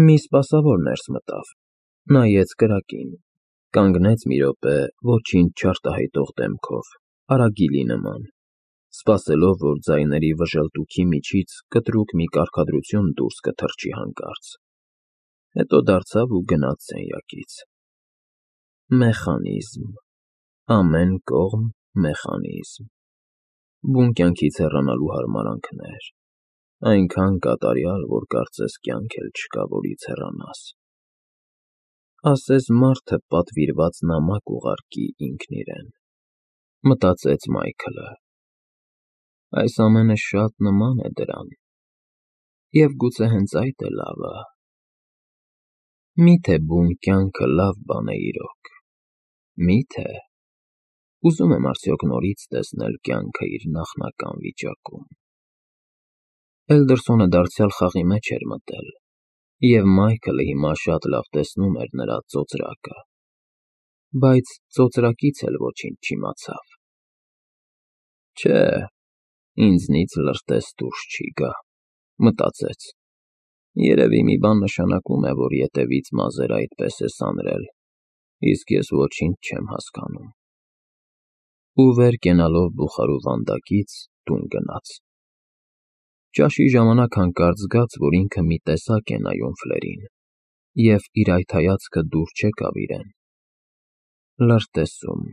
Մի սպասավոր ներս մտավ, նայեց կրակին, կանգնեց մի րոպե ոչինչ չարտահայտող դեմքով, արագիլի նման, սպասելով, որ ձայների վժլտուքի միջից կտրուկ մի կարգադրություն դուրս կթռչի հանկարծ, հետո դարձավ ու գնաց սենյակից։ Մեխանիզմ, ամեն կողմ մեխանիզմ, բուն կյանքից հեռանալու հարմարանքներ, այնքան կատարյալ, որ կարծես կյանք էլ չկա, որից հեռանաս։ Ասես մարդը պատվիրված նամակ ուղարկի ինքն իրեն, մտածեց Մայքլը։ Այս ամենը շատ նման է դրան, և գուցե հենց այդ է լավը։ Մի՞թե բուն կյանքը լավ բան է իրոք, մի՞թե։ Ուզում եմ արդյոք նորից տեսնել կյանքը իր նախնական վիճակում։ Էլդերսոնը դարձյալ խաղի մեջ էր մտել, և Մայքլը հիմա շատ լավ տեսնում էր նրա ծոծրակը, բայց ծոծրակից էլ ոչինչ չիմացավ։ Չէ, ինձնից լրտես դուրս չի գա, մտածեց, երևի մի բան նշանակում է, որ ետևից մազերը այդպես է սանրել, իսկ ես ոչինչ չեմ հասկանում։ Ու վեր կենալով բուխարու վանդակից տուն գնաց։ Ճաշի ժամանակ հանկարծ զգաց, որ ինքը մի տեսակ է նայում Ֆլերին, և իր այդ հայացքը դուր չեկավ իրեն։ Լրտեսում։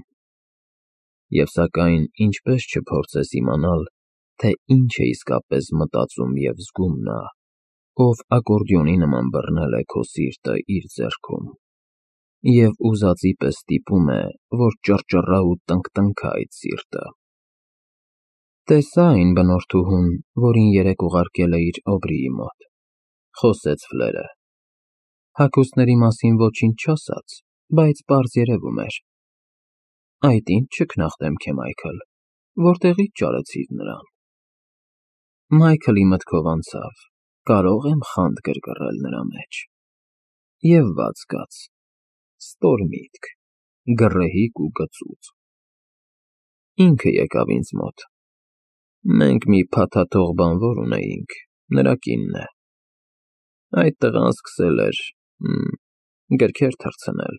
Եվ սակայն ինչպես չփորձես իմանալ, թե ինչ է իսկապես մտածում և զգում նա, ով ակորդեոնի նման բռնել է քո սիրտը իր ձեռքում, և ուզածի պես ստիպում է, որ ճռճռա ու տնկտնքա այդ սիրտը։ Տեսա՞ այն բնորդուհուն, որին երեկ ուղարկել էիր Օբրիի մոտ, խոսեց Ֆլերը։ Հագուստների մասին ոչինչ չասաց, բայց պարզ երևում էր։ Այդ ինչ ճգնախ դեմք է, Մայքլ, որտեղի՞ց ճարեցիր նրան։ Մայքլի մտքով անցավ, կարո՞ղ եմ խանդ գրգռել նրա մեջ։ Եվ վատ զգաց, ստոր միտք, գռեհիկ ու գծուծ։ Ինքը եկավ ինձ մոտ։ Մենք մի փաթաթող բանվոր ունեինք, նրա կինն է։ Այդ տղան սկսել էր գրքեր թռցնել։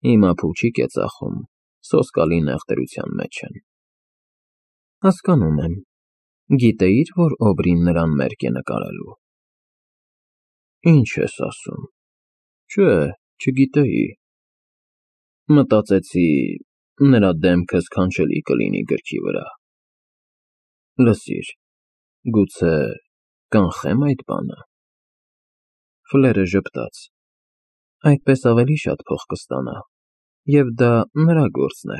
Հիմա փուչիկ է ծախում, սոսկալի նեղ դրության մեջ են։ Հասկանում եմ, գիտեի՞ր, որ Օբրին նրան մերկ է նկարելու։ Ինչ ես ասում։ Չէ, չգիտեի։ Մտածեցի, նրա դեմքը սքանչելի կլինի գրքի վրա։ Լսիր, գուցե կանխե՞մ այդ բանը։ Ֆլերը ժպտաց։ Այդպես ավելի շատ փող կստանա, և դա նրա գործն է։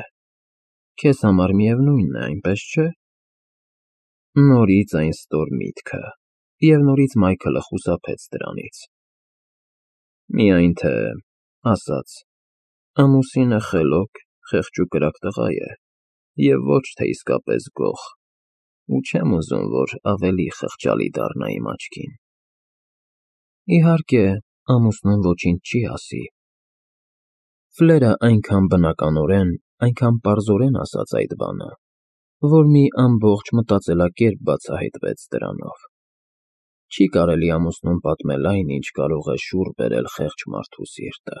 Քեզ համար միևնույնն է, այնպես չէ։ Նորից այն ստոր միտքը, և նորից Մայքլը խուսափեց դրանից։ Միայն թե, ասաց, ամուսինը խելոք, խեղճ ու կրակ տղա է, և ոչ թե իսկապես գող, ու չեմ ուզում, որ ավելի խղճալի դառնա իմ աչքին։ Իհարկե, ամուսնուն ոչինչ չի ասի։ Ֆլերը այնքան բնականորեն, այնքան պարզորեն ասաց այդ բանը, որ մի ամբողջ մտածելակերպ բացահայտվեց դրանով։ Չի կարելի ամուսնուն պատմել այն, ինչ կարող է շուռ բերել խեղճ մարդու սիրտը։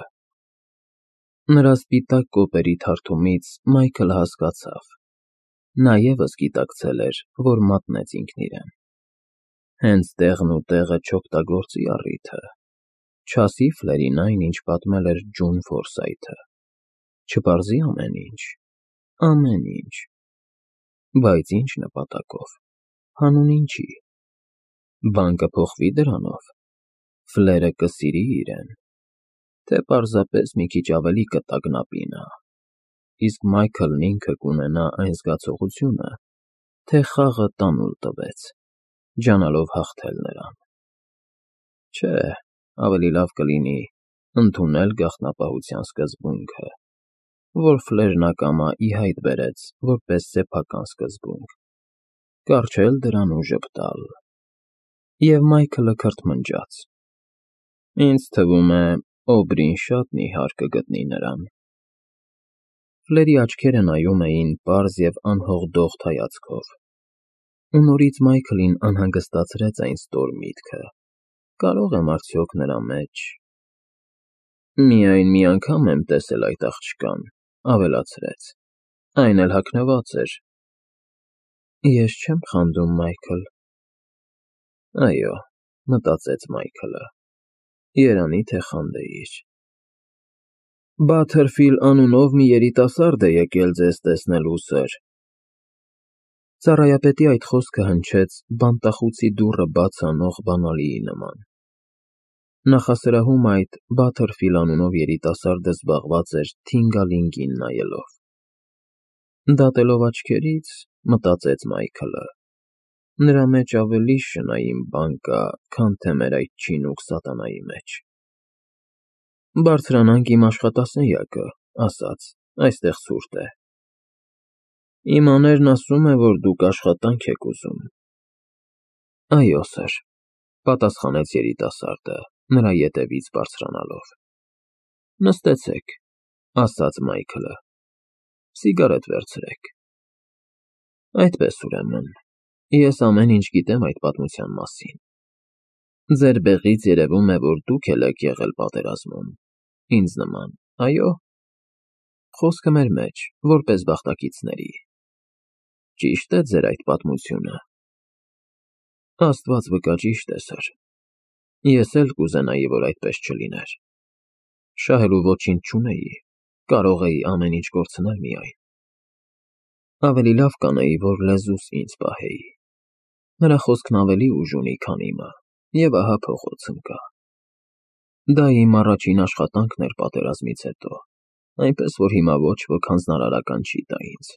Նրա սպիտակ կոպերի թարթումից Մայքլը հասկացավ։ Նա ևս գիտակցել էր, որ մատնեց ինքն իրեն։ Հենց տեղն ու տեղը չօգտագործի առիթը, չասի Ֆլերին այն, ինչ պատմել էր Ջուն Ֆորսայթը, չպարզի ամեն ինչ։ Բայց ինչ նպատակով, հանուն ինչի։ Բան կփոխվի դրանով։ Ֆլերը կսիրի իրեն, թե պարզապես մի քիչ ավելի կտագնապի նա, իսկ Մայքլն ինքը կունենա այն զգացողությունը, թե խաղը տանուլ տվեց, ջանալով հաղթել նրան։ Չէ, ավելի լավ կլինի ընդունել գաղտնապահության սկզբունքը, որ Ֆլերն ակամա ի հայտ բերեց որպես սեփական սկզբունք, կառչել դրան ու ժպտալ։ Եվ Մայքլը քրթմնջաց. Ինձ թվում է, Օբրին շատ նիհար կգտնի նրան։ Ֆլերի աչքերը նայում էին պարզ և անհողդողդ հայացքով։ Ու նորից Մայքլին անհանգստացրեց այն ստոր միտքը, կարող եմ արդյոք նրա մեջ… Միայն մի անգամ եմ տեսել այդ աղջկան, ավելացրեց, այն էլ հագնված էր… Ես չեմ խանդում, Մայքլ… Այո, մտածեց Մայքլը, երանի թե խանդեիր… Բաթերֆիլ անունով մի երիտասարդ է եկել ձեզ տեսնելու, սըր… Ծառայապետի այդ խոսքը հնչեց բանտախուցի դուռը բաց անող բանալիի նման… Նախասրահում այդ Բաթերֆիլ անունով երիտասարդը զբաղված էր թինգալինգին նայելով… Դատելով աչքերից, մտածեց Մայքլը, նրա մեջ ավելի շնայուն բան կա, քան թե մեր այդ չինուք սատանայի մեջ… Բարձրանանք իմ աշխատասենյակը, ասաց, այստեղ ցուրտ է… Իմ աներն ասում է, որ դուք աշխատանք եք ուզում… Այո, սըր, պատասխանեց երիտասարդը, նրա ետևից բարձրանալով… Նստեցեք, ասաց Մայքլը, սիգարետ վերցրեք… Այդպես, ուրեմն, ես ամեն ինչ գիտեմ այդ պատմության մասին… Ձեր բեղից երևում է, որ դուք էլ եք եղել պատերազմում, ինձ նման, այո՞… Խոսքը մեր մեջ, որպես բախտակիցների… Ճի՞շտ է ձեր այդ պատմությունը… Աստված վկա, ճիշտ է, սըր… Ես էլ կուզենայի, որ այդպես չլիներ… Շահելու ոչինչ չունեի, կարող էի ամեն ինչ կորցնել միայն… Ավելի լավ կանեի, որ լեզուս ինձ պահեի… Նրա խոսքն ավելի ուժ ունի, քան իմը, և ահա փողոց ընկա… Դա իմ առաջին աշխատանքն էր պատերազմից հետո, այնպես որ հիմա ոչ ոք հանձնարարական չի տա ինձ…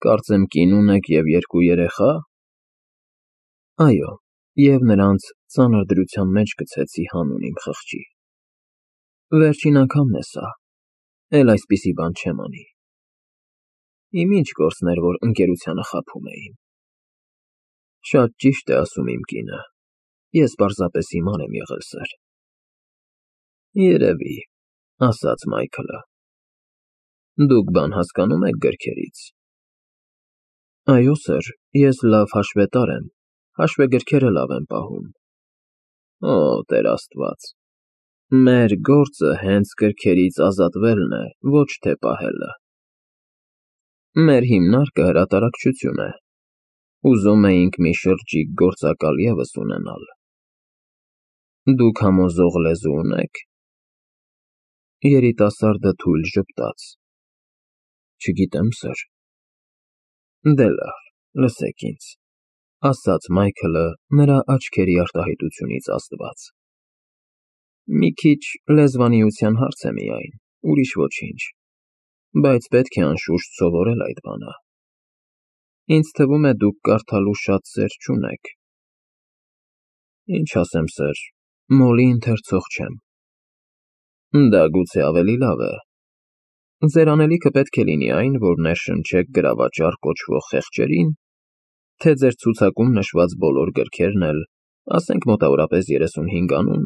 Կարծեմ կին ունեք և երկու երեխա… Այո, և նրանց ծանր դրության մեջ գցեցի հանուն իմ խղճի… Վերջին անգամն է սա, էլ այսպիսի բան չեմ անի… Իմ ինչ գործն էր, որ ընկերությանը խաբում էին… Շատ ճիշտ է ասում իմ կինը, ես պարզապես հիմար եմ եղել, սըր… Երևի, ասաց Մայքլը… Դուք բան հասկանում եք գրքերից… Այո, սըր, ես լավ հաշվետար եմ, հաշվեգրքերը լավ եմ պահում… Օ, Տեր Աստված… Մեր գործը հենց գրքերից ազատվելն է, ոչ թե պահելը… Մեր հիմնարկը հրատարակչություն է… Ուզում էինք մի շրջիկ գործակալ ևս ունենալ… Դուք համոզող լեզու ունե՞ք… Երիտասարդը թույլ ժպտաց… Չգիտեմ, սըր… Դե լավ, լսեք ինձ… Ասաց Մայքլը նրա աչքերի արտահայտությունից ազդված… Մի քիչ լեզվանիության հարց է միայն, ուրիշ ոչինչ… Բայց պետք է անշուշտ սովորել այդ բանը… Ինձ թվում է դուք կարդալու շատ սեր չունեք… Ինչ ասեմ, սըր, մոլի ընթերցող չեմ… Դա գուցե ավելի լավ է… Ձեր անելիքը պետք է լինի այն, որ ներշնչեք գրավաճառ կոչվող խեղճերին, թե ձեր ցուցակում նշված բոլոր գրքերն էլ, ասենք մոտավորապես 35 անուն,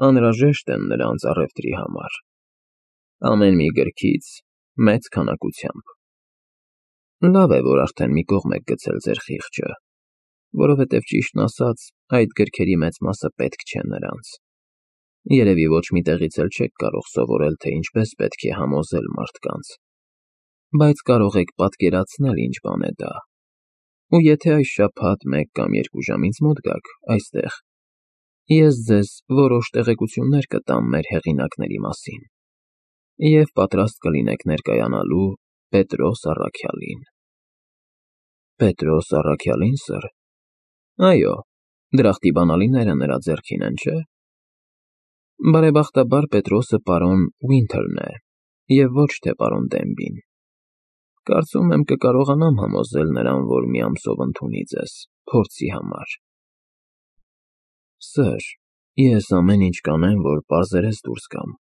անհրաժեշտ են նրանց առևտրի համար… Ամեն մի գրքից մեծ քանակությամբ… Լավ է, որ արդեն մի կողմ եք գցել ձեր խիղճը, որովհետև ճիշտն ասած, այդ գրքերի մեծ մասը պետք չէ նրանց… Երևի ոչ մի տեղից էլ չեք կարող սովորել, թե ինչպես պետք է համոզել մարդկանց… Բայց կարող եք պատկերացնել ինչ բան է դա… Ու եթե այս շաբաթ մեկ կամ երկու ժամ ինձ մոտ գաք, այստեղ, ես ձեզ որոշ տեղեկություններ կտամ մեր հեղինակների մասին… Եվ պատրաստ կլինեք ներկայանալու Պետրոս առաքյալին… Պետրոս առաքյալի՞ն, սըր… Այո, դրախտի բանալիները նրա ձեռքին են, չէ… Բարեբախտաբար Պետրոսը պարոն Ուինթերն է և ոչ թե պարոն Դենբին… Կարծում եմ կկարողանամ համոզել նրան, որ մի ամսով ընդունի ձեզ, փորձի համար… Սըր, ես ամեն ինչ կանեմ, որ պարզերես դուրս գամ…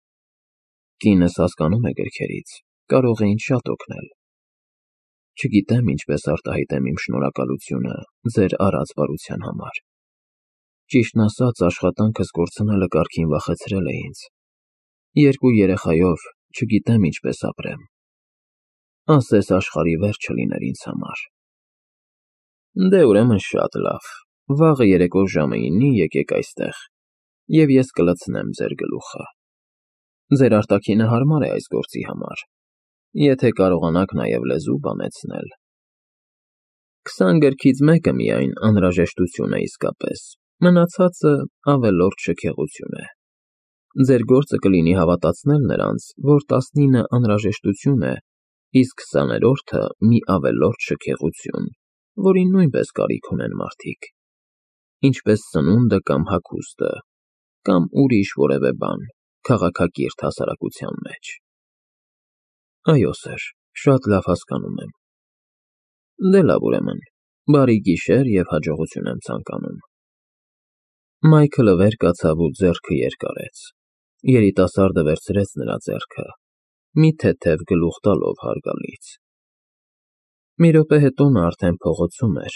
Կինս հասկանում է գրքերից, կարող է ինձ շատ օգնել… Չգիտեմ ինչպես արտահայտեմ իմ շնորհակալությունը ձեր արած բարության համար… Ճիշտն ասած, աշխատանքս կորցնելը կարգին վախեցրել է ինձ… Երկու երեխայով չգիտեմ ինչպես ապրեմ… Ասես աշխարհի վերջը լիներ ինձ համար… Դե ուրեմն շատ լավ, Վաղը երեկո ժամը 9-ի եկեք այստեղ, և ես կլցնեմ ձեր գլուխը։ Ձեր արտաքինը հարմար է այս գործի համար, եթե կարողանաք նաև լեզու բանեցնել։ 20 գրքից մեկը միայն անհրաժեշտություն է իսկապես, մնացածը ավելորդ շքեղություն է։ Ձեր գործը կլինի հավատացնել նրանց, որ 19-ը անհրաժեշտություն է, իսկ 20-րդը մի ավելորդ շքեղություն, որին նույնպես կարիք ունեն մարդիկ, ինչպես սնունդը կամ հագուստը, կամ ուրիշ որևէ բան, քաղաքակիրթ հասարակության մեջ։ Այո, սըր, շատ լավ հասկանում եմ։ Դե լավ, ուրեմն, բարի գիշեր և հաջողություն եմ ցանկանում։ Մայքլը վեր կացավ ու ձեռքը երկարեց։ Երիտասարդը վերցրեց նրա ձեռքը, մի թեթև գլուխ տալով հարգալից։ Մի րոպե հետո նա արդեն փողոցում էր,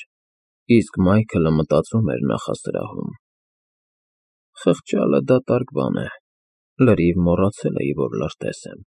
իսկ Մայքլը մտածում էր նախասրահում. «Խղճալը դատարկ բան է, լրիվ մոռացել էի, որ լրտես եմ»։